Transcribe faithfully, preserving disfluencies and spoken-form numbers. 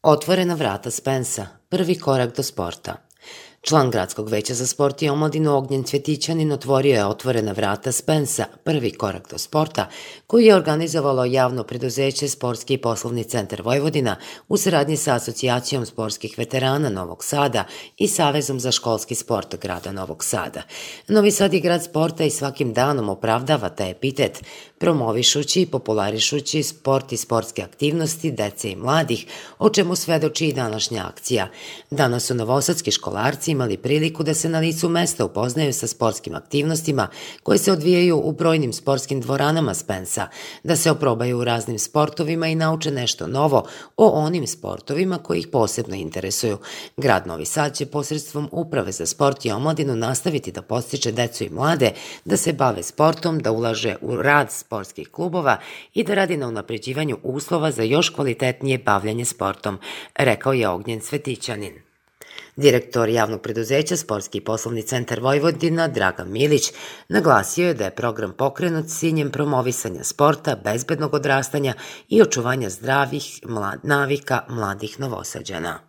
Otvorena vrata Spensa, prvi korak do sporta. Član Gradskog veća za sport i omladinu Ognjen Cvjetićanin otvorio je Otvorena vrata Spensa, prvi korak do sporta, koji je organizovalo javno preduzeće Sportski i poslovni centar Vojvodina u saradnji sa Asocijacijom sportskih veterana Novog Sada i Savezom za školski sport grada Novog Sada. Novi Sad je grad sporta i svakim danom opravdava taj epitet, promovišući i popularišući sport i sportske aktivnosti dece i mladih, o čemu svedoči i današnja akcija. Danas su novosadski školarci imali priliku da se na licu mesta upoznaju sa sportskim aktivnostima koje se odvijaju u brojnim sportskim dvoranama Spensa, da se oprobaju u raznim sportovima i nauče nešto novo o onim sportovima koji ih posebno interesuju. Grad Novi Sad će posredstvom Uprave za sport i omladinu nastaviti da podstiče decu i mlade da se bave sportom, da ulaže u rad sportskih klubova i da radi na unapređivanju uslova za još kvalitetnije bavljanje sportom, rekao je Ognjen Cvjetićanin. Direktor javnog preduzeća Sportski i poslovni centar Vojvodina Dragan Milić naglasio je da je program pokrenut s ciljem promovisanja sporta, bezbednog odrastanja i očuvanja zdravih navika mladih Novosađana.